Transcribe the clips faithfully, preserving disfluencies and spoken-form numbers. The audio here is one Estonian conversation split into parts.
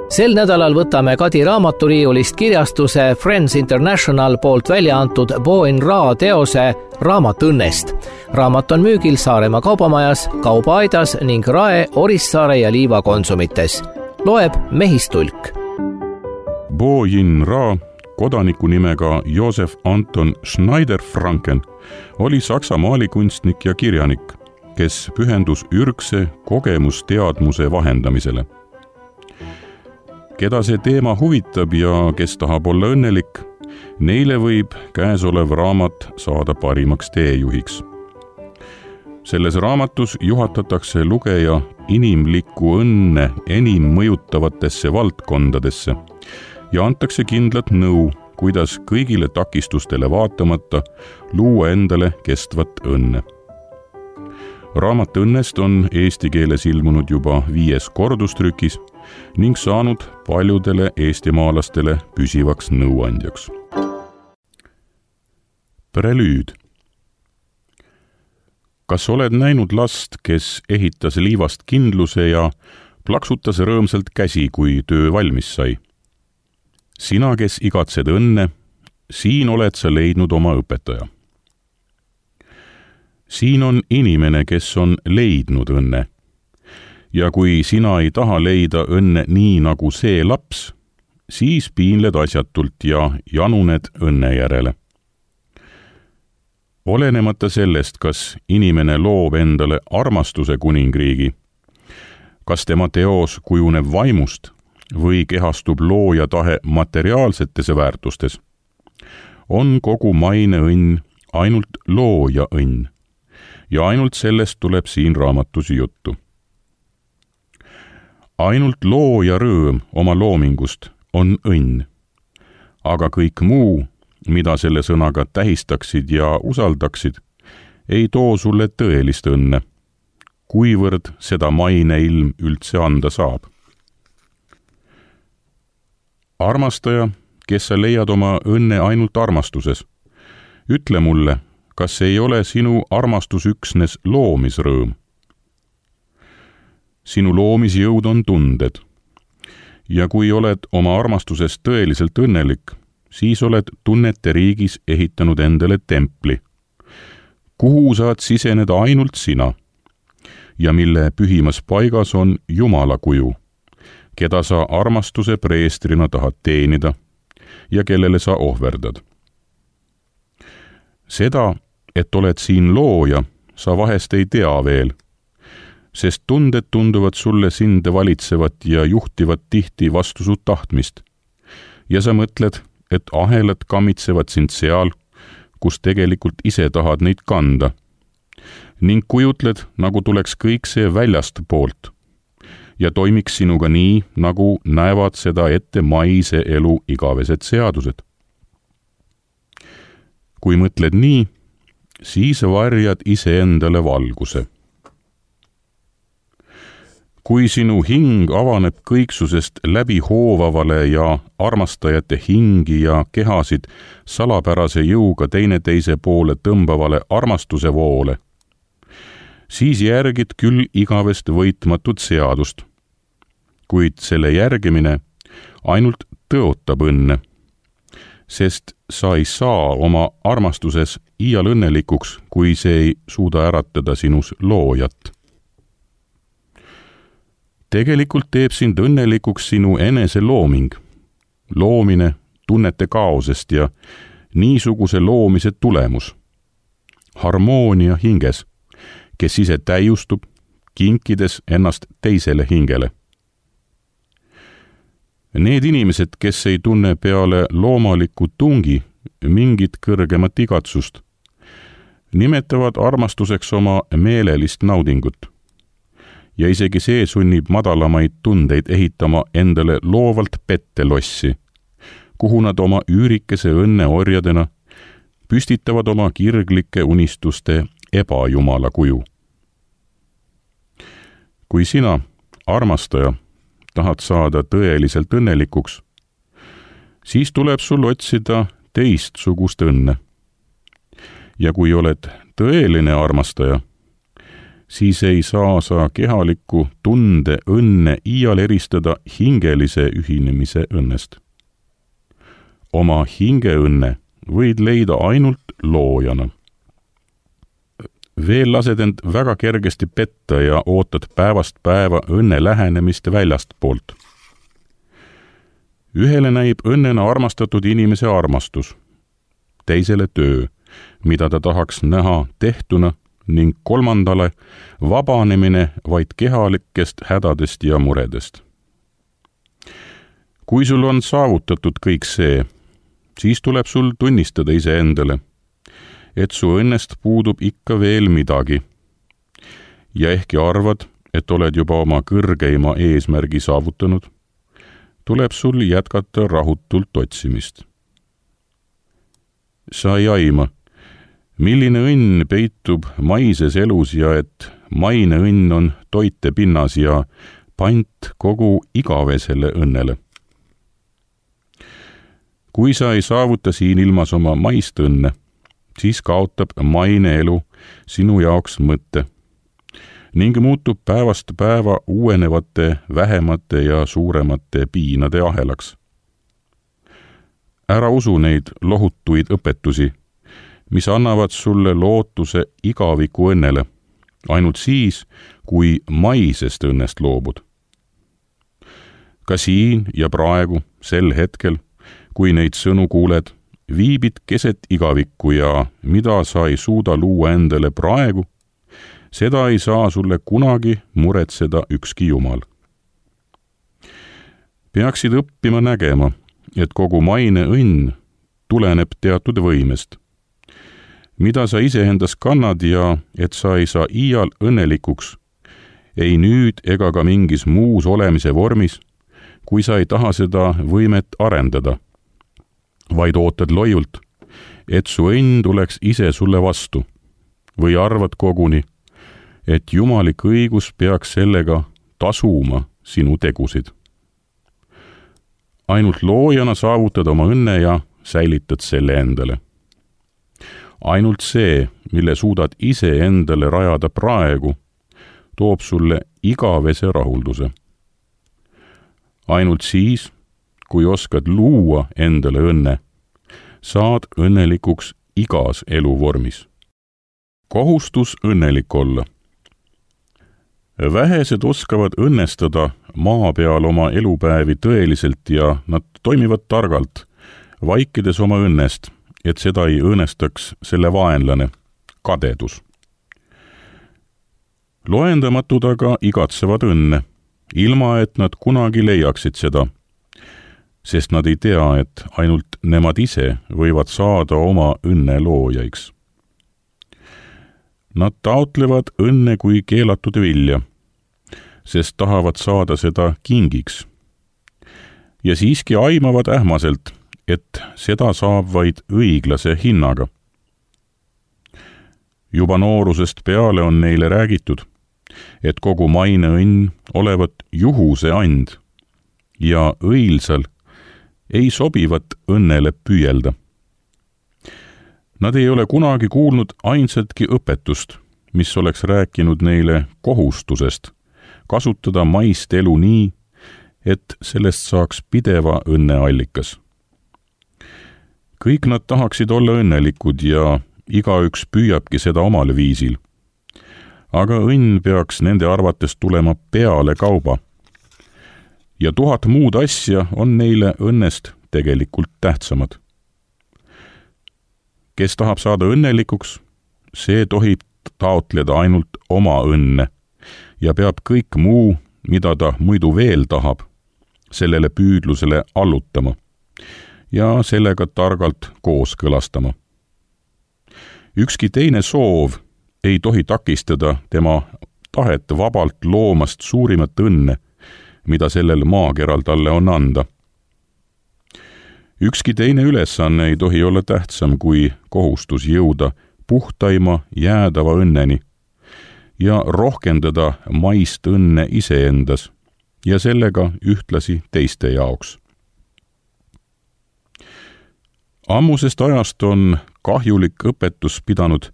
Sel nädalal võtame Kadi raamaturiiulist kirjastuse Friends International poolt välja antud Bo in Ra teose Raamat õnnest. Raamat on müügil Saaremaa kaubamajas, Kaubaaidas ning Rae, Orissaare ja Liiva konsumites. Loeb Mehistulk. Bo in Ra, kodaniku nimega Josef Anton Schneider-Franken, oli Saksa maalikunstnik ja kirjanik, kes pühendus ürgse kogemusteadmuse vahendamisele. Keda see teema huvitab ja kes tahab olla õnnelik, neile võib käesolev raamat saada parimaks teejuhiks. Selles raamatus juhatatakse lugeja inimlikku õnne enim mõjutavatesse valdkondadesse ja antakse kindlat nõu, kuidas kõigile takistustele vaatamata luua endale kestvat õnne. Raamat õnnest on eesti keeles ilmunud juba viies kordustrükis ning saanud paljudele eestimaalastele püsivaks nõuandjaks. Prelüüd. Kas oled näinud last, kes ehitas liivast kindluse ja plaksutas rõõmsalt käsi, kui töö valmis sai? Sina, kes igatsed õnne, siin oled sa leidnud oma õpetaja. Siin on inimene, kes on leidnud õnne. Ja kui sina ei taha leida õnne nii nagu see laps, siis piinled asjatult ja januned õnne järele. Olenemata sellest, kas inimene loob endale armastuse kuningriigi, kas tema teos kujuneb vaimust või kehastub looja tahe materiaalsetes väärtustes, on kogu maine õnn ainult looja õnn ja ainult sellest tuleb siin raamatus juttu. Ainult looja rõõm oma loomingust on õnn, aga kõik muu, mida selle sõnaga tähistaksid ja usaldaksid, ei too sulle tõelist õnne, kuivõrd seda maine ilm üldse anda saab. Armastaja, kes sa leiad oma õnne ainult armastuses, ütle mulle, kas ei ole sinu armastus üksnes loomisrõõm? Sinu loomisjõud on tunded. Ja kui oled oma armastuses tõeliselt õnnelik, siis oled tunnete riigis ehitanud endale templi, kuhu saad siseneda ainult sina ja mille pühimas paigas on Jumala kuju, keda sa armastuse preestrina tahad teenida ja kellele sa ohverdad. Seda, et oled siin looja, sa vahest ei tea veel, sest tunded tunduvad sulle sind valitsevat ja juhtivat tihti vastu su tahtmist. Ja sa mõtled, et ahelad kammitsevad sind seal, kus tegelikult ise tahad neid kanda. Ning kujutled, nagu tuleks kõik see väljast poolt ja toimiks sinuga nii, nagu näevad seda ette maise elu igavesed seadused. Kui mõtled nii, siis varjad ise endale valguse. Kui sinu hing avaneb kõiksusest läbi hoovavale ja armastajate hingi ja kehasid salapärase jõuga teineteise poole tõmbavale armastuse voole, siis järgid küll igavest võitmatut seadust, kuid selle järgimine ainult tõotab õnne, sest sa ei saa oma armastuses iial õnnelikuks, kui see ei suuda äratada sinus loojat. Tegelikult teeb sind õnnelikuks sinu enese looming, loomine tunnete kaosest ja niisuguse loomise tulemus, harmoonia hinges, kes ise täiustub, kinkides ennast teisele hingele. Need inimesed, kes ei tunne peale loomaliku tungi mingit kõrgemat igatsust, nimetavad armastuseks oma meelelist naudingut. Ja isegi see sunnib madalamaid tundeid ehitama endale loovalt pettelossi, kuhu nad oma üürikese õnne orjadena püstitavad oma kirglike unistuste ebajumala kuju. Kui sina, armastaja, tahad saada tõeliselt õnnelikuks, siis tuleb sul otsida teistsugust õnne. Ja kui oled tõeline armastaja, siis ei saa sa kehaliku tunde õnne iial eristada hingelise ühinemise õnnest. Oma hingeõnne võid leida ainult loojana. Veel lased end väga kergesti petta ja ootad päevast päeva õnne lähenemist väljast poolt. Ühele näib õnnena armastatud inimese armastus, teisele töö, mida ta tahaks näha tehtuna, ning kolmandale vabanemine vaid kehalikest hädadest ja muredest. Kui sul on saavutatud kõik see, siis tuleb sul tunnistada iseendale, et su õnnest puudub ikka veel midagi. Ja ehkki arvad, et oled juba oma kõrgeima eesmärgi saavutanud, tuleb sul jätkata rahutult otsimist. Sa ei aima, milline õnn peitub maises elus ja et maine õnn on toite pinnas ja pant kogu igavesele õnnele. Kui sa ei saavuta siin ilmas oma maist õnne, siis kaotab maine elu sinu jaoks mõtte ning muutub päevast päeva uuenevate, vähemate ja suuremate piinade ahelaks. Ära usu neid lohutuid õpetusi, mis annavad sulle lootuse igaviku õnnele, ainult siis, kui maisest õnnest loobud. Ka siin ja praegu, sel hetkel, kui neid sõnu kuuled, viibid keset igavikku ja mida sa ei suuda luua endale praegu, seda ei saa sulle kunagi muretseda ükski jumal. Peaksid õppima nägema, et kogu maine õnn tuleneb teatud võimest, mida sa iseendas kannad ja et sa ei saa iial õnnelikuks, ei nüüd ega ka mingis muus olemise vormis, kui sa ei taha seda võimet arendada, vaid ootad loiult, et su õnn tuleks ise sulle vastu, või arvad koguni, et jumalik õigus peaks sellega tasuma sinu tegusid. Ainult loojana saavutad oma õnne ja säilitad selle endale. Ainult see, mille suudad ise endale rajada praegu, toob sulle igavese rahulduse. Ainult siis, kui oskad luua endale õnne, saad õnnelikuks igas eluvormis. Kohustus õnnelik olla. Vähesed oskavad õnnestada maa peal oma elupäevi tõeliselt ja nad toimivad targalt, vaikides oma õnnest, et seda ei õõnestaks selle vaenlane, kadedus. Loendamatud aga igatsevad õnne, ilma et nad kunagi leiaksid seda, sest nad ei tea, et ainult nemad ise võivad saada oma õnne loojaiks. Nad taotlevad õnne kui keelatud vilja, sest tahavad saada seda kingiks. Ja siiski aimavad ähmaselt, et seda saab vaid õiglase hinnaga. Juba noorusest peale on neile räägitud, et kogu maine õnn olevat juhuse and ja õilsal ei sobivat õnnele püüelda. Nad ei ole kunagi kuulnud ainsatki õpetust, mis oleks rääkinud neile kohustusest kasutada maist elu nii, et sellest saaks pideva õnne allikas. Kõik nad tahaksid olla õnnelikud ja igaüks püüabki seda omal viisil. Aga õnn peaks nende arvates tulema peale kauba. Ja tuhat muud asja on neile õnnest tegelikult tähtsamad. Kes tahab saada õnnelikuks, see tohib taotleda ainult oma õnne ja peab kõik muu, mida ta muidu veel tahab, sellele püüdlusele allutama ja sellega targalt kooskõlastama. Ükski teine soov ei tohi takistada tema tahet vabalt loomast suurimat õnne, mida sellel maakeral talle on anda. Ükski teine ülesanne ei tohi olla tähtsam kui kohustus jõuda puhtaima jäädava õnneni ja rohkendada maist õnne iseendas ja sellega ühtlasi teiste jaoks. Ammusest ajast on kahjulik õpetus pidanud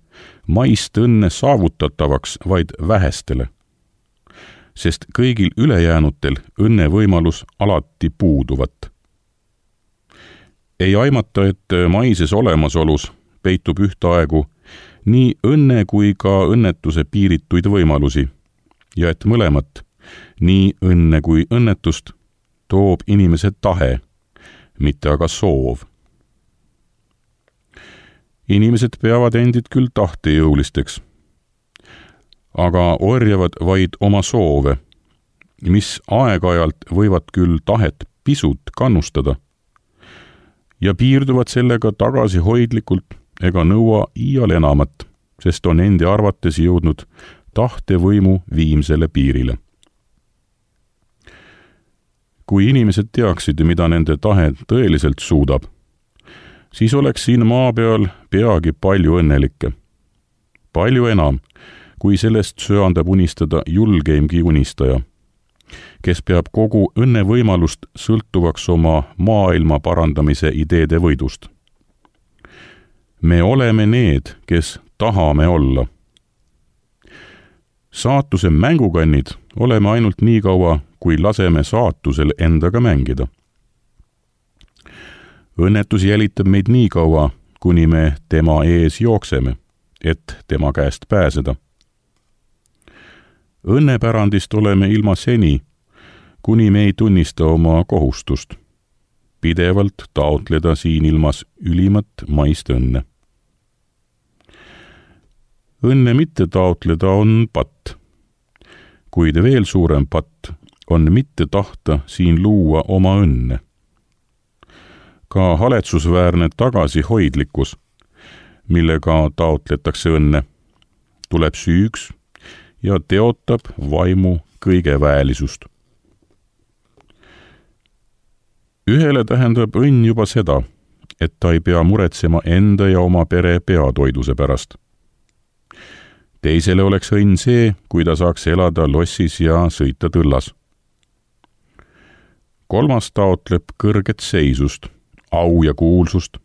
maist õnne saavutatavaks vaid vähestele, sest kõigil ülejäänutel õnnevõimalus alati puuduvat. Ei aimata, et maises olemasolus peitub ühtaegu nii õnne kui ka õnnetuse piirituid võimalusi ja et mõlemat, nii õnne kui õnnetust, toob inimese tahe, mitte aga soov. Inimesed peavad endid küll tahtejõulisteks, aga orjavad vaid oma soove, mis aeg-ajalt võivad küll tahet pisut kannustada ja piirduvad sellega tagasihoidlikult ega nõua iial enamat, sest on endi arvates jõudnud tahtevõimu viimsele piirile. Kui inimesed teaksid, mida nende tahe tõeliselt suudab, siis oleks siin maa peal peagi palju õnnelikke. Palju enam, kui sellest söandab unistada julgeimgi unistaja, kes peab kogu õnnevõimalust sõltuvaks oma maailma parandamise ideede võidust. Me oleme need, kes tahame olla. Saatuse mängukannid oleme ainult nii kaua, kui laseme saatusel endaga mängida. Õnnetus jälitab meid nii kaua, kuni me tema ees jookseme, et tema käest pääseda. Õnnepärandist oleme ilma seni, kuni me ei tunnista oma kohustust, pidevalt taotleda siin ilmas ülimat maist õnne. Õnne mitte taotleda on patt, kuid veel suurem patt on mitte tahta siin luua oma õnne. Ka haletsusväärne tagasihoidlikkus, millega taotletakse õnne, tuleb süüks ja teotab vaimu kõigeväelisust. Ühele tähendab õnn juba seda, et ta ei pea muretsema enda ja oma pere peatoiduse pärast. Teisele oleks õnn see, kui ta saaks elada lossis ja sõita tõllas. Kolmas taotleb kõrget seisust, au ja kuulsust,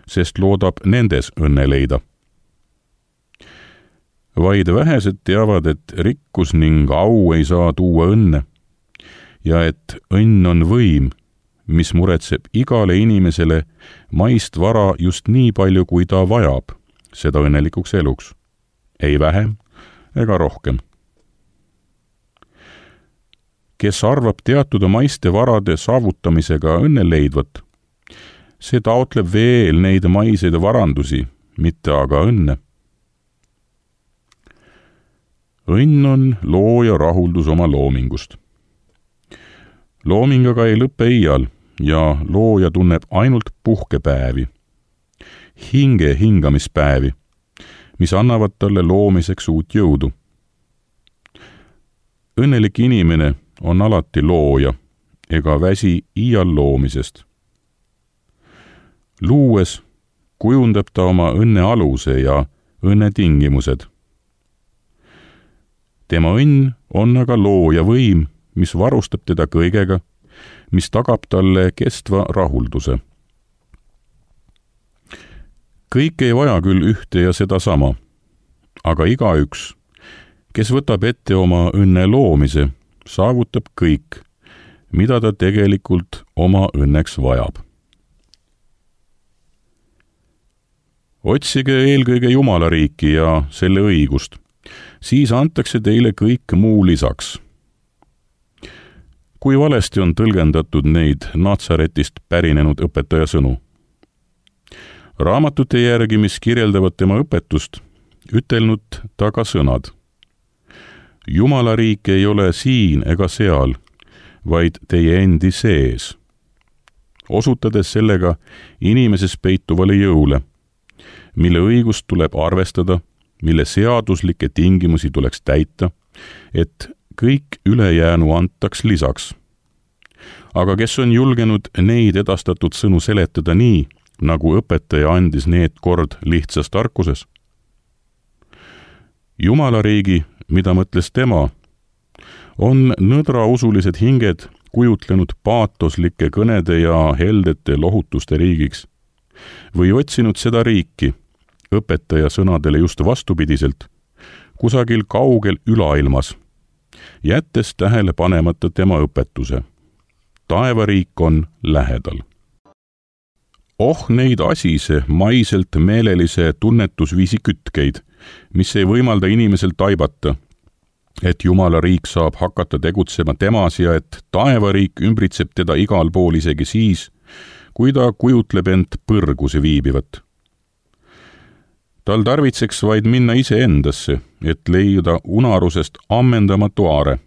sest loodab nendes õnne leida. Vaid vähesed teavad, et rikkus ning au ei saa tuua õnne ja et õnn on võim, mis muretseb igale inimesele maist vara just nii palju, kui ta vajab seda õnnelikuks eluks. Ei vähem ega rohkem. Kes arvab teatud maiste varade saavutamisega õnne leidvat, see taotleb veel neid maiseid varandusi, mitte aga õnne. Õnn on looja rahuldus oma loomingust. Looming aga ei lõppe iial ja looja tunneb ainult puhkepäevi, hinge hingamispäevi, mis annavad talle loomiseks uut jõudu. Õnnelik inimene on alati looja ega väsi iial loomisest. Luues kujundab ta oma õnne aluse ja õnne tingimused. Tema õnn on aga looja võim, mis varustab teda kõigega, mis tagab talle kestva rahulduse. Kõik ei vaja küll ühte ja seda sama, aga igaüks, kes võtab ette oma õnne loomise, saavutab kõik, mida ta tegelikult oma õnneks vajab. Otsige eelkõige Jumala riiki ja selle õigust, siis antakse teile kõik muu lisaks. Kui valesti on tõlgendatud neid Natsaretist pärinenud õpetaja sõnu? Raamatute järgi, mis kirjeldavad tema õpetust, ütelnud ta ka sõnad. Jumala riik ei ole siin ega seal, vaid teie endi sees, osutades sellega inimeses peituvale jõule, mille õigust tuleb arvestada, mille seaduslikke tingimusi tuleks täita, et kõik ülejäänu antaks lisaks. Aga kes on julgenud neid edastatud sõnu seletada nii, nagu õpetaja andis need kord lihtsas tarkuses? Jumala riigi, mida mõtles tema, on nõdrausulised hinged kujutlenud paatoslike kõnede ja heldete lohutuste riigiks või otsinud seda riiki, õpetaja sõnadele just vastupidiselt, kusagil kaugel ülailmas, jättes tähele panemata tema õpetuse. Taevariik on lähedal. Oh neid asise, maiselt meelelise tunnetusviisi kütkeid, mis ei võimalda inimesel taibata, et Jumala riik saab hakata tegutsema temas ja et taevariik ümbritseb teda igal pool isegi siis, kui ta kujutleb end põrguse viibivat. Tal tarvitseks vaid minna iseendasse, et leida unarusest ammendamatu aare.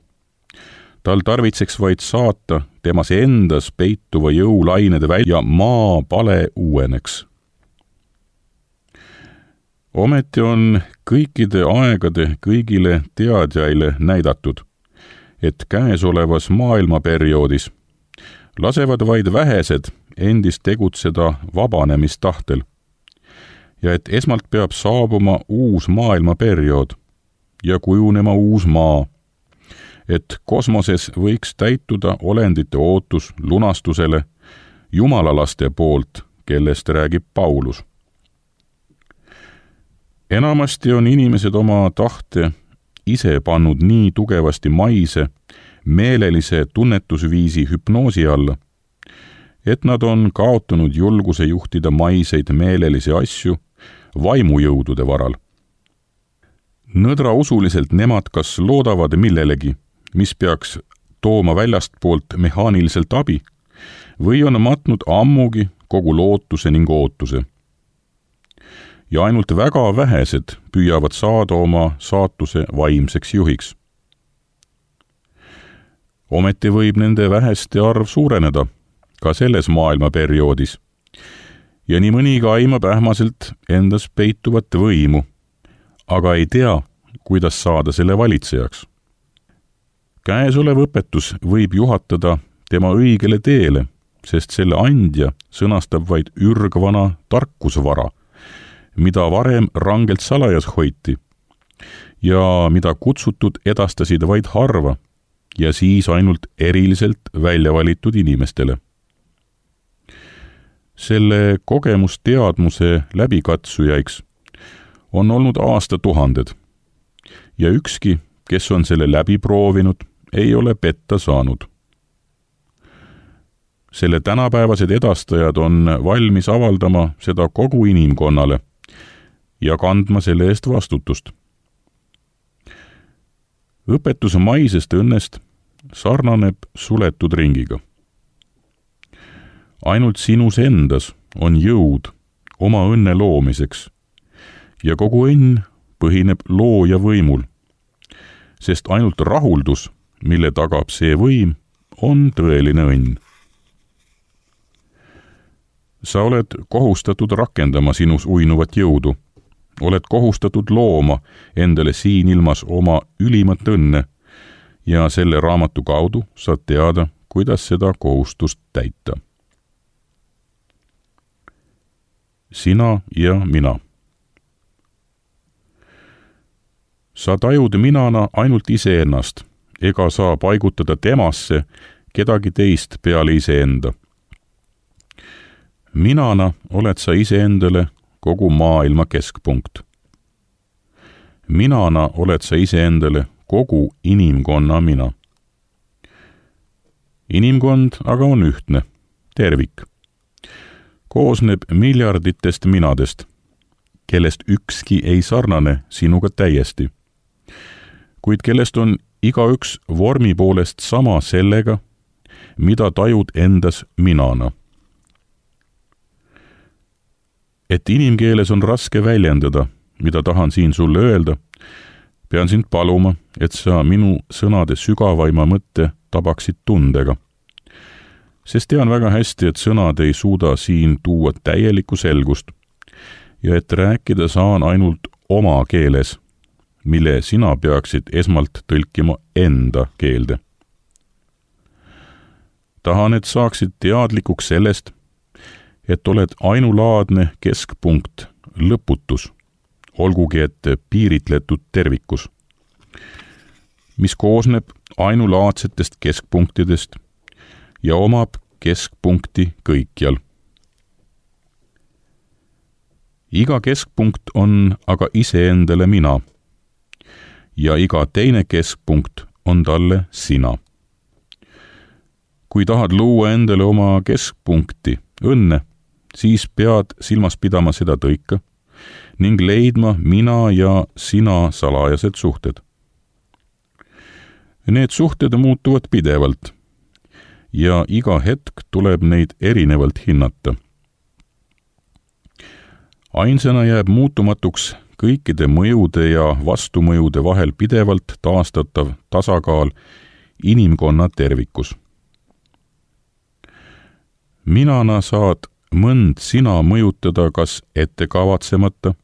Tal tarvitseks vaid saata temas endas peituva jõulainede välja ja maa pale uueneks. Ometi on kõikide aegade kõigile teadjaile näidatud, et käesolevas maailmaperioodis lasevad vaid vähesed endist tegutseda vabanemistahtel ja et esmalt peab saabuma uus maailmaperiood ja kujunema uus maa, et kosmoses võiks täituda olendite ootus lunastusele jumalalaste poolt, kellest räägib Paulus. Enamasti on inimesed oma tahte ise pannud nii tugevasti maise, meelelise tunnetusviisi hüpnoosi alla, et nad on kaotanud julguse juhtida maiseid meelelisi asju vaimujõudude varal. Nõdrausuliselt nemad kas loodavad millelegi, mis peaks tooma väljastpoolt mehaaniliselt abi, või on matnud ammugi kogu lootuse ning ootuse. Ja ainult väga vähesed püüavad saada oma saatuse vaimseks juhiks. Ometi võib nende väheste arv suureneda ka selles maailmaperioodis ja nii mõniga aimab ähmaselt endas peituvat võimu, aga ei tea, kuidas saada selle valitsejaks. Käesolev õpetus võib juhatada tema õigele teele, sest selle andja sõnastab vaid ürgvana tarkusvara, mida varem rangelt salajas hoiti ja mida kutsutud edastasid vaid harva ja siis ainult eriliselt välja valitud inimestele. Selle kogemusteadmuse läbikatsujaiks on olnud aastatuhanded ja ükski, kes on selle läbi proovinud, ei ole petta saanud. Selle tänapäevased edastajad on valmis avaldama seda kogu inimkonnale ja kandma selle eest vastutust. Õpetus maisest õnnest sarnaneb suletud ringiga. Ainult sinus endas on jõud oma õnne loomiseks ja kogu õnn põhineb looja võimul, sest ainult rahuldus, mille tagab see võim, on tõeline õnn. Sa oled kohustatud rakendama sinus uinuvat jõudu, oled kohustatud looma endale siin ilmas oma ülimat õnne ja selle raamatu kaudu saad teada, kuidas seda kohustust täita. Sina ja mina. Sa tajud minana ainult iseennast, ega saa paigutada temasse kedagi teist peale iseenda. Minana oled sa iseendale kogu maailma keskpunkt. Minana oled sa iseendale kogu inimkonna mina. Inimkond aga on ühtne, tervik. Koosneb miljarditest minadest, kellest ükski ei sarnane sinuga täiesti, kuid kellest on igaüks vormi poolest sama sellega, mida tajud endas minana. Et inimkeeles on raske väljendada, mida tahan siin sulle öelda, pean sind paluma, et sa minu sõnade sügavaima mõtte tabaksid tundega. Sest tean väga hästi, et sõnad ei suuda siin tuua täielikku selgust ja et rääkida saan ainult oma keeles, mille sina peaksid esmalt tõlkima enda keelde. Tahan, et saaksid teadlikuks sellest, et oled ainulaadne keskpunkt, lõputus, olgugi et piiritletud tervikus, mis koosneb ainulaadsetest keskpunktidest ja omab keskpunkti kõikjal. iga keskpunkt on aga iseendale mina ja iga teine keskpunkt on talle sina. Kui tahad luua endale oma keskpunkti, õnne, siis pead silmas pidama seda tõika ning leidma mina ja sina salajased suhted. Need suhted muutuvad pidevalt ja iga hetk tuleb neid erinevalt hinnata. Ainsana jääb muutumatuks kõikide mõjude ja vastumõjude vahel pidevalt taastatav tasakaal inimkonna tervikus. Minana saad mõnd sina mõjutada kas ette kavatsemata,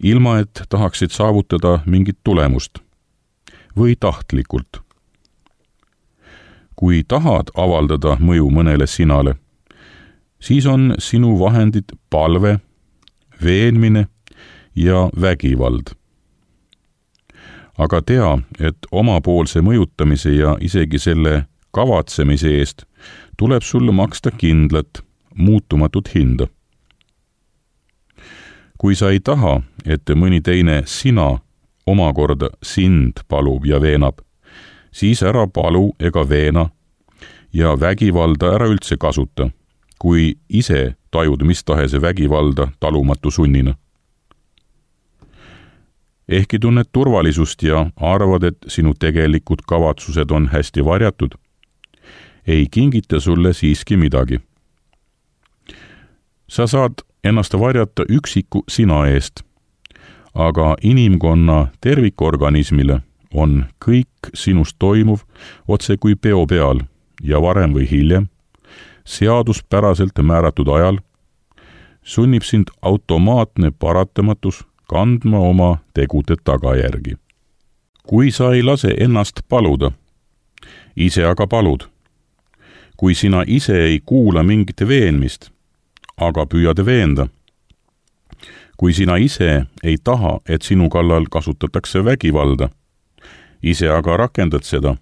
ilma et tahaksid saavutada mingit tulemust, või tahtlikult. Kui tahad avaldada mõju mõnele sinale, siis on sinu vahendid palve, veenmine ja vägivald. Aga tea, et omapoolse mõjutamise ja isegi selle kavatsemise eest tuleb sulle maksta kindlat, muutumatut hinda. Kui sa ei taha, et mõni teine sina omakorda sind palub ja veenab, siis ära palu ega veena ja vägivalda ära üldse kasuta, kui ise tajud mis tahes vägivalda talumatu sunnina. Ehkki tunned turvalisust ja arvad, et sinu tegelikud kavatsused on hästi varjatud, ei kingita sulle siiski midagi. Sa saad ennast varjata üksiku sina eest, aga inimkonna tervikorganismile on kõik sinust toimuv otse kui peo peal ja varem või hiljem, seaduspäraselt määratud ajal, sunnib sind automaatne paratamatus kandma oma tegude tagajärgi. Kui sa ei lase ennast paluda, ise aga palud, kui sina ise ei kuula mingit veenmist, aga püüad veenda, kui sina ise ei taha, et sinu kallal kasutatakse vägivalda, ise aga rakendad seda,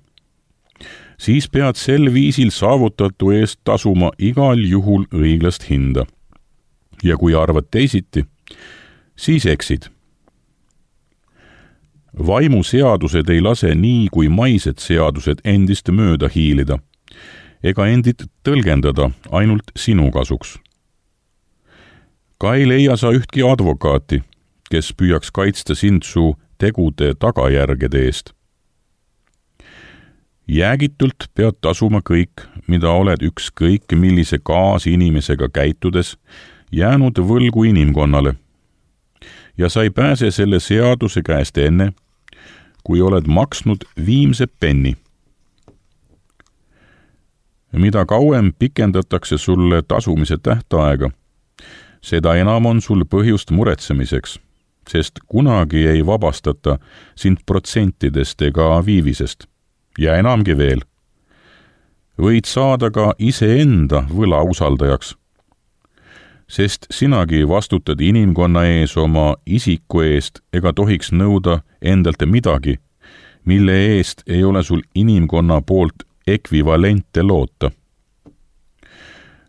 siis pead sel viisil saavutatu eest tasuma igal juhul õiglast hinda. Ja kui arvad teisiti, siis eksid. Vaimu seadused ei lase nii kui maised seadused endist mööda hiilida, ega endit tõlgendada ainult sinu kasuks. Ka ei leia sa ühtki advokaati, kes püüaks kaitsta sind su tegude tagajärgede eest. Jäägitult pead tasuma kõik, mida oled ükskõik millise kaasinimesega käitudes jäänud võlgu inimkonnale. Ja sa ei pääse selle seaduse käest enne, kui oled maksnud viimse penni. Mida kauem pikendatakse sulle tasumise tähtaega, seda enam on sul põhjust muretsemiseks, sest kunagi ei vabastata sind protsentidest ega viivisest. Ja enamgi veel, võid saada ka iseenda võla usaldajaks, sest sinagi vastutad inimkonna ees oma isiku eest ega tohiks nõuda endalt midagi, mille eest ei ole sul inimkonna poolt ekvivalente loota.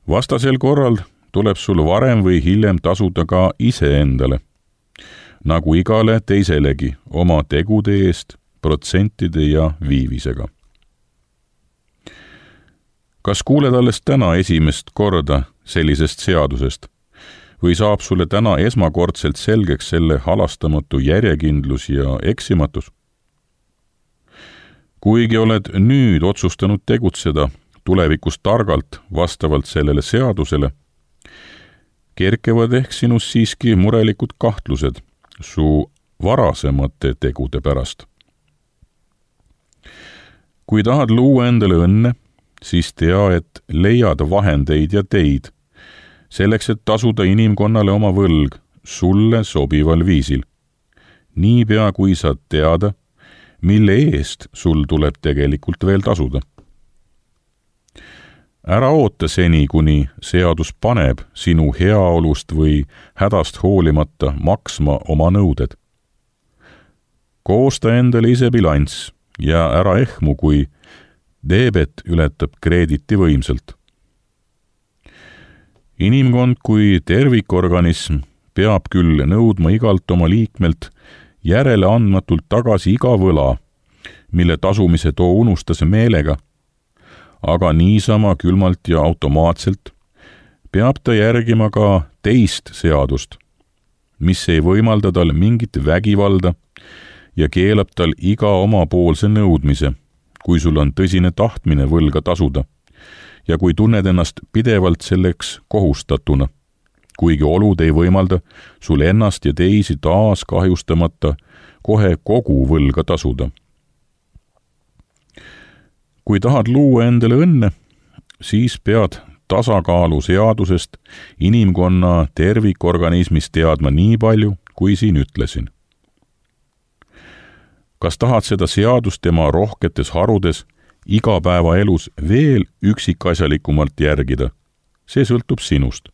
Vastasel korral tuleb sul varem või hiljem tasuda ka iseendale, nagu igale teiselegi oma tegude eest, protsentide ja viivisega. Kas kuuled alles täna esimest korda sellisest seadusest või saab sulle täna esmakordselt selgeks selle halastamatu järjekindlus ja eksimatus? Kuigi oled nüüd otsustanud tegutseda tulevikus targalt vastavalt sellele seadusele, kerkevad ehk sinus siiski murelikud kahtlused su varasemate tegude pärast. Kui tahad luua endale õnne, siis tea, et leiad vahendeid ja teid, selleks, et tasuda inimkonnale oma võlg sulle sobival viisil. Niipea kui saad teada, mille eest sul tuleb tegelikult veel tasuda. Ära oota seni, kuni seadus paneb sinu heaolust või hädast hoolimata maksma oma nõuded. Koosta endale ise bilanss ja ära ehmu, kui deebet ületab kreediti võimselt. Inimkond kui tervikorganism peab küll nõudma igalt oma liikmelt järele andmatult tagasi iga võla, mille tasumise too unustas meelega, aga niisama külmalt ja automaatselt peab ta järgima ka teist seadust, mis ei võimalda tal mingit vägivalda ja keelab tal iga omapoolse nõudmise, kui sul on tõsine tahtmine võlga tasuda ja kui tunned ennast pidevalt selleks kohustatuna, kuigi olud ei võimalda sul ennast ja teisi taas kahjustamata kohe kogu võlga tasuda. Kui tahad luua endale õnne, siis pead tasakaalu seadusest inimkonna tervikorganismis teadma nii palju, kui siin ütlesin. Kas tahad seda seadust tema rohketes harudes igapäevaelus veel üksikasjalikumalt järgida? See sõltub sinust.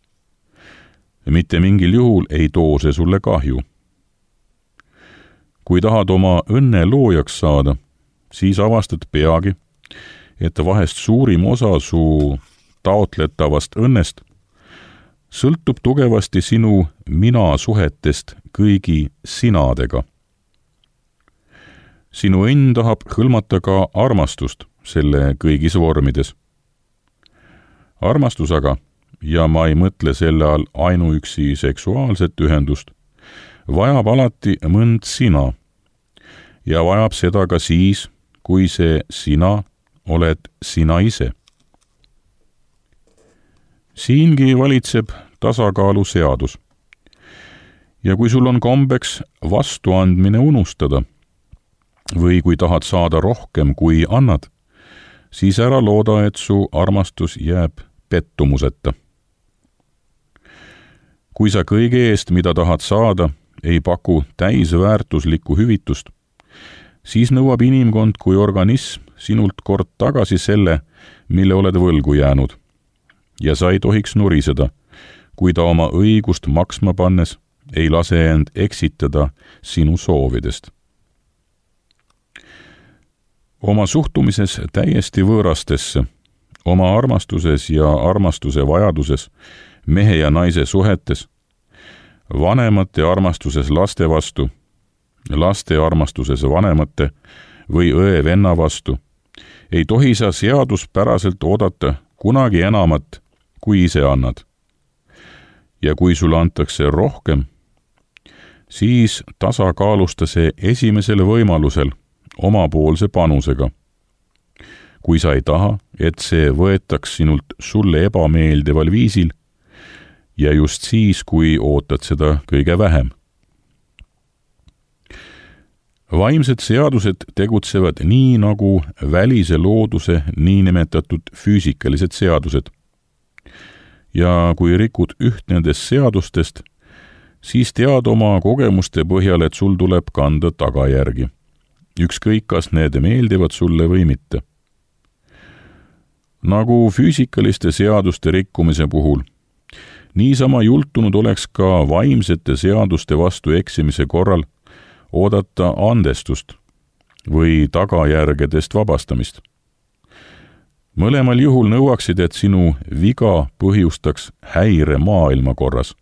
Mitte mingil juhul ei too see sulle kahju. Kui tahad oma õnne loojaks saada, siis avastad peagi, et vahest suurim osa su taotletavast õnnest sõltub tugevasti sinu mina-suhetest kõigi sinadega. Sinu õnn tahab hõlmata ka armastust selle kõigis vormides. Armastus aga, ja ma ei mõtle selle all ainuüksi seksuaalset ühendust, vajab alati mõnd sina ja vajab seda ka siis, kui see sina oled sina ise. Siingi valitseb tasakaalu seadus. Ja kui sul on kombeks vastuandmine unustada, või kui tahad saada rohkem, kui annad, siis ära looda, et su armastus jääb pettumuseta. Kui sa kõige eest, mida tahad saada, ei paku täisväärtuslikku hüvitust, siis nõuab inimkond kui organism sinult kord tagasi selle, mille oled võlgu jäänud. Ja sa ei tohiks nuriseda, kui ta oma õigust maksma pannes ei lase end eksitada sinu soovidest. Oma suhtumises täiesti võõrastesse, oma armastuses ja armastuse vajaduses, mehe ja naise suhetes, vanemate armastuses laste vastu, laste armastuses vanemate või õe-venna vastu, ei tohi sa seaduspäraselt oodata kunagi enamat, kui ise annad. Ja kui sulle antakse rohkem, siis tasakaalusta see esimesel võimalusel omapoolse panusega. Kui sa ei taha, et see võetaks sinult sulle ebameeldival viisil ja just siis, kui ootad seda kõige vähem. Vaimsed seadused tegutsevad nii nagu välise looduse niinimetatud füüsikalised seadused. Ja kui rikud üht nendest seadustest, siis tead oma kogemuste põhjal, et sul tuleb kanda tagajärgi. Ükskõik, kas need meeldivad sulle või mitte. Nagu füüsikaliste seaduste rikkumise puhul, niisama jultunud oleks ka vaimsete seaduste vastu eksimise korral oodata andestust või tagajärgedest vabastamist. Mõlemal juhul nõuaksid, et sinu viga põhjustaks häire maailmakorras.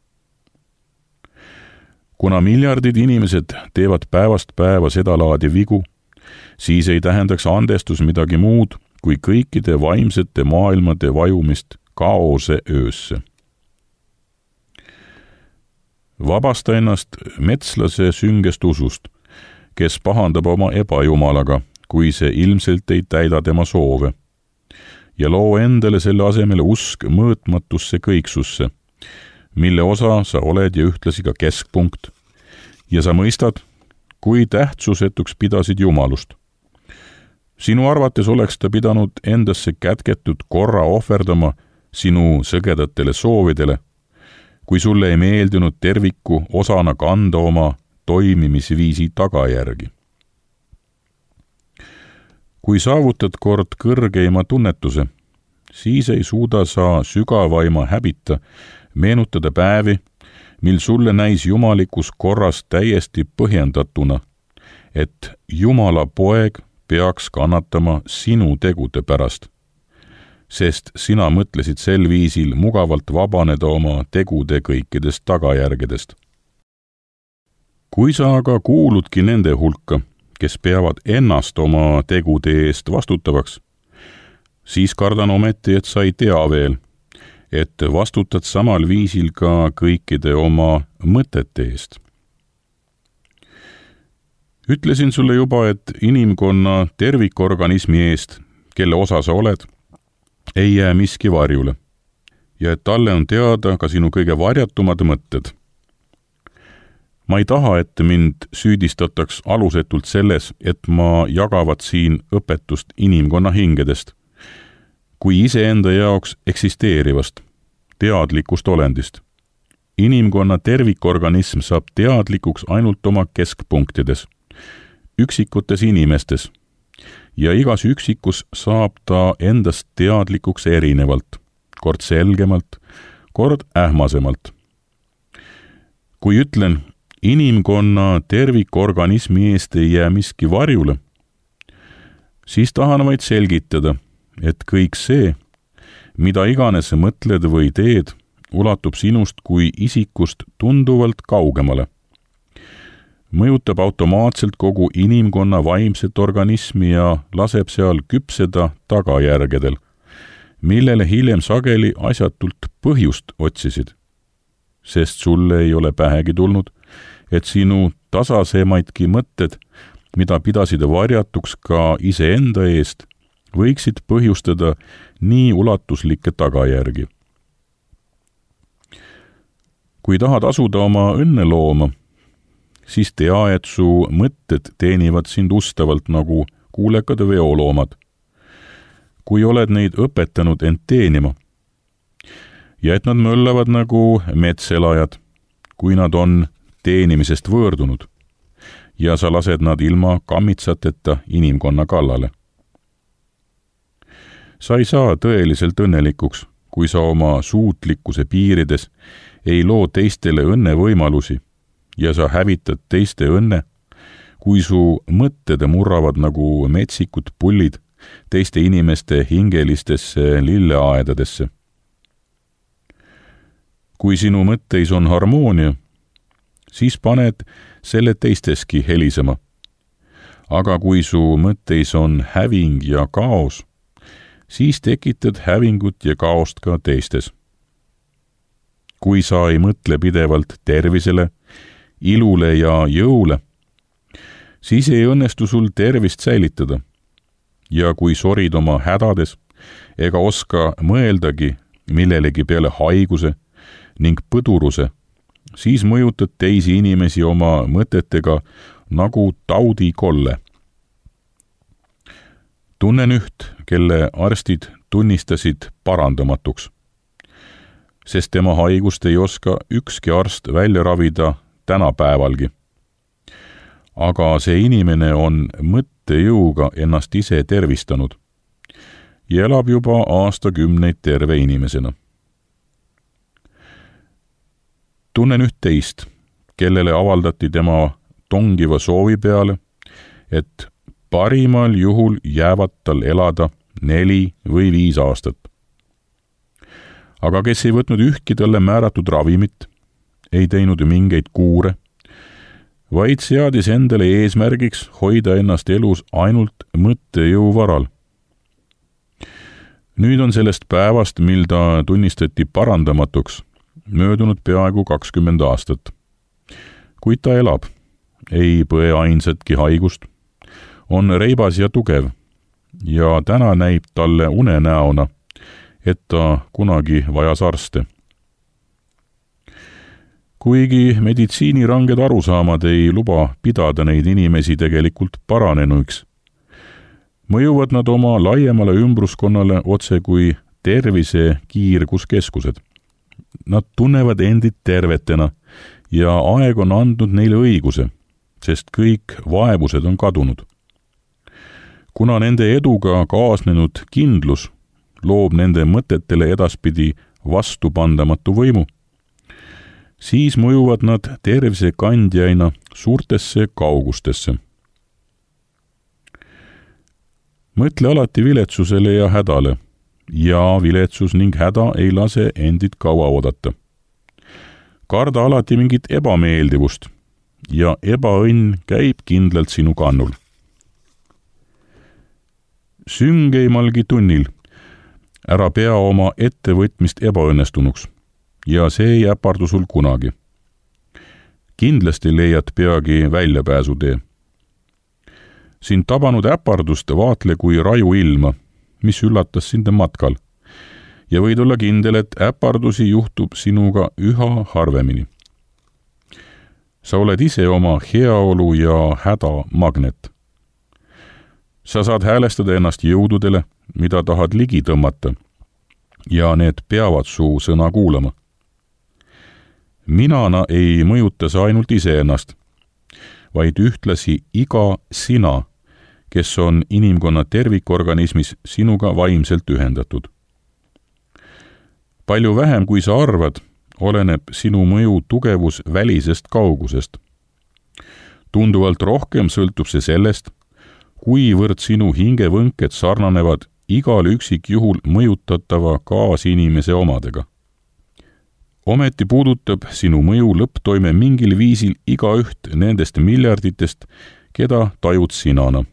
Kuna miljardid inimesed teevad päevast päeva seda laadi vigu, siis ei tähendaks andestus midagi muud kui kõikide vaimsete maailmade vajumist kaose öösse. Vabasta ennast metslase süngest usust, kes pahandab oma ebajumalaga, kui see ilmselt ei täida tema soove, ja loo endale selle asemele usk mõõtmatusse kõiksusse, mille osa sa oled ja ühtlasi ka keskpunkt, ja sa mõistad, kui tähtsusetuks pidasid jumalust. Sinu arvates oleks ta pidanud endasse kätketud korra ohverdama sinu sõgedatele soovidele, kui sulle ei meeldinud terviku osana kanda oma toimimisviisi tagajärgi. Kui saavutad kord kõrgeima tunnetuse, siis ei suuda sa sügavaima häbita meenutada päevi, mil sulle näis jumalikus korras täiesti põhjendatuna, et Jumala poeg peaks kannatama sinu tegude pärast, sest sina mõtlesid sel viisil mugavalt vabaneda oma tegude kõikidest tagajärgedest. kui sa aga kuuludki nende hulka, kes peavad ennast oma tegude eest vastutavaks, siis kardan ometi, et sa ei tea veel, et vastutad samal viisil ka kõikide oma mõtete eest. Ütlesin sulle juba, et inimkonna tervikorganismi eest, kelle osa sa oled, ei jää miski varjule ja et talle on teada ka sinu kõige varjatumad mõtted. Ma ei taha, et mind süüdistataks alusetult selles, et ma jagavat siin õpetust inimkonna hingedest, kui iseenda jaoks eksisteerivast, teadlikust olendist. Inimkonna tervikorganism saab teadlikuks ainult oma keskpunktides, üksikutes inimestes, ja igas üksikus saab ta endast teadlikuks erinevalt, kord selgemalt, kord ähmasemalt. Kui ütlen, inimkonna tervikorganismi eest ei jää miski varjule, siis tahan vaid selgitada, et kõik see, mida iganes mõtled või teed, ulatub sinust kui isikust tunduvalt kaugemale. Mõjutab automaatselt kogu inimkonna vaimset organismi ja laseb seal küpseda tagajärgedel, millele hiljem sageli asjatult põhjust otsisid, sest sulle ei ole pähegi tulnud, et sinu tasasemaidki mõtted, mida pidasid varjatuks ka iseenda eest, võiksid põhjustada nii ulatuslikke tagajärgi. Kui tahad asuda oma õnne looma, siis tea, et su mõtted teenivad sind ustavalt nagu kuulekad veoloomad, kui oled neid õpetanud end teenima, ja et nad möllavad nagu metselajad, kui nad on teenimisest võõrdunud, ja sa lased nad ilma kammitsateta inimkonna kallale. Sa ei saa tõeliselt õnnelikuks, kui sa oma suutlikkuse piirides ei loo teistele õnne võimalusi ja sa hävitad teiste õnne, kui su mõtted murravad nagu metsikud pullid teiste inimeste hingelistesse lilleaedadesse. Kui sinu mõtteis on harmoonia, siis paned selle teisteski helisema. Aga kui su mõtteis on häving ja kaos, siis tekitad hävingut ja kaost ka teistes. Kui sa ei mõtle pidevalt tervisele, ilule ja jõule, siis ei õnnestu sul tervist säilitada. Ja kui sorid oma hädades ega oska mõeldagi millelegi peale haiguse ning põduruse, siis mõjutad teisi inimesi oma mõtetega nagu taudikolle. Tunnen üht, kelle arstid tunnistasid parandamatuks, sest tema haigust ei oska ükski arst välja ravida tänapäevalgi. Aga see inimene on mõttejõuga ennast ise tervistanud ja elab juba aastakümneid terve inimesena. Tunnen üht teist, kellele avaldati tema tongiva soovi peale, et parimal juhul jäävad tal elada neli või viis aastat. Aga kes ei võtnud ühtki talle määratud ravimit, ei teinud mingeid kuure, vaid seadis endale eesmärgiks hoida ennast elus ainult mõttejõu varal. Nüüd on sellest päevast, mil ta tunnistati parandamatuks, möödunud peaaegu kakskümmend aastat. Kuid ta elab, ei põe ainsatki haigust, on reibas ja tugev ja täna näib talle unenäona, et ta kunagi vajas arste. Kuigi meditsiini ranged arusaamad ei luba pidada neid inimesi tegelikult paranenuks, mõjuvad nad oma laiemale ümbruskonnale otse kui tervise kiirguskeskused. Nad tunnevad endid tervetena ja aeg on andnud neile õiguse, sest kõik vaevused on kadunud. Kuna nende eduga kaasnenud kindlus loob nende mõtetele edaspidi vastupandamatu võimu, siis mõjuvad nad tervise kandjaina suurtesse kaugustesse. Mõtle alati viletsusele ja hädale, ja viletsus ning häda ei lase endid kaua oodata. Karda alati mingit ebameeldivust ja ebaõnn käib kindlalt sinu kannul. Süngeimalgi tunnil ära pea oma ettevõtmist ebaõnnestunuks ja see ei äpardu sul kunagi. Kindlasti leiad peagi väljapääsutee. Sind tabanud äpardust vaatle kui raju ilma, mis üllatas sind matkal, ja võid olla kindel, et äpardusi juhtub sinuga üha harvemini. Sa oled ise oma heaolu ja häda magnet. Sa saad häälestada ennast jõududele, mida tahad ligi tõmmata, ja need peavad su sõna kuulama. Minana ei mõjuta sa ainult iseennast, vaid ühtlasi iga sina, kes on inimkonna tervikorganismis sinuga vaimselt ühendatud. Palju vähem, kui sa arvad, oleneb sinu mõju tugevus välisest kaugusest. Tunduvalt rohkem sõltub see sellest, kuivõrd sinu hingevõnked sarnanevad igal üksikjuhul mõjutatava kaasinimese omadega. Ometi puudutab sinu mõju lõpptoime mingil viisil igaüht nendest miljarditest, keda tajud sinana.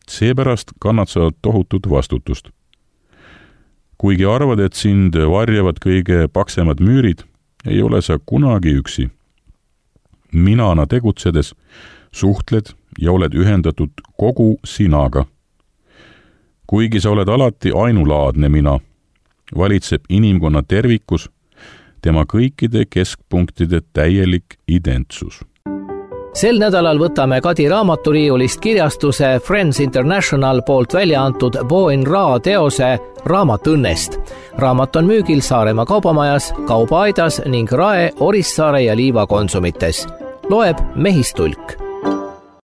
Seepärast kannad sa tohutut vastutust. Kuigi arvad, et sind varjavad kõige paksemad müürid, ei ole sa kunagi üksi. Minana tegutsedes suhtled ja oled ühendatud kogu sinaga. Kuigi sa oled alati ainulaadne mina, valitseb inimkonna tervikus tema kõikide keskpunktide täielik identsus. Sel nädalal võtame Kadi raamaturiiulist kirjastuse Friends International poolt välja antud Bo in Ra teose Raamat õnnest. Raamat on müügil Saaremaa kaubamajas, Kaubaaidas ning Rae, Orissaare ja Liiva konsumites. Loeb Mehistulk.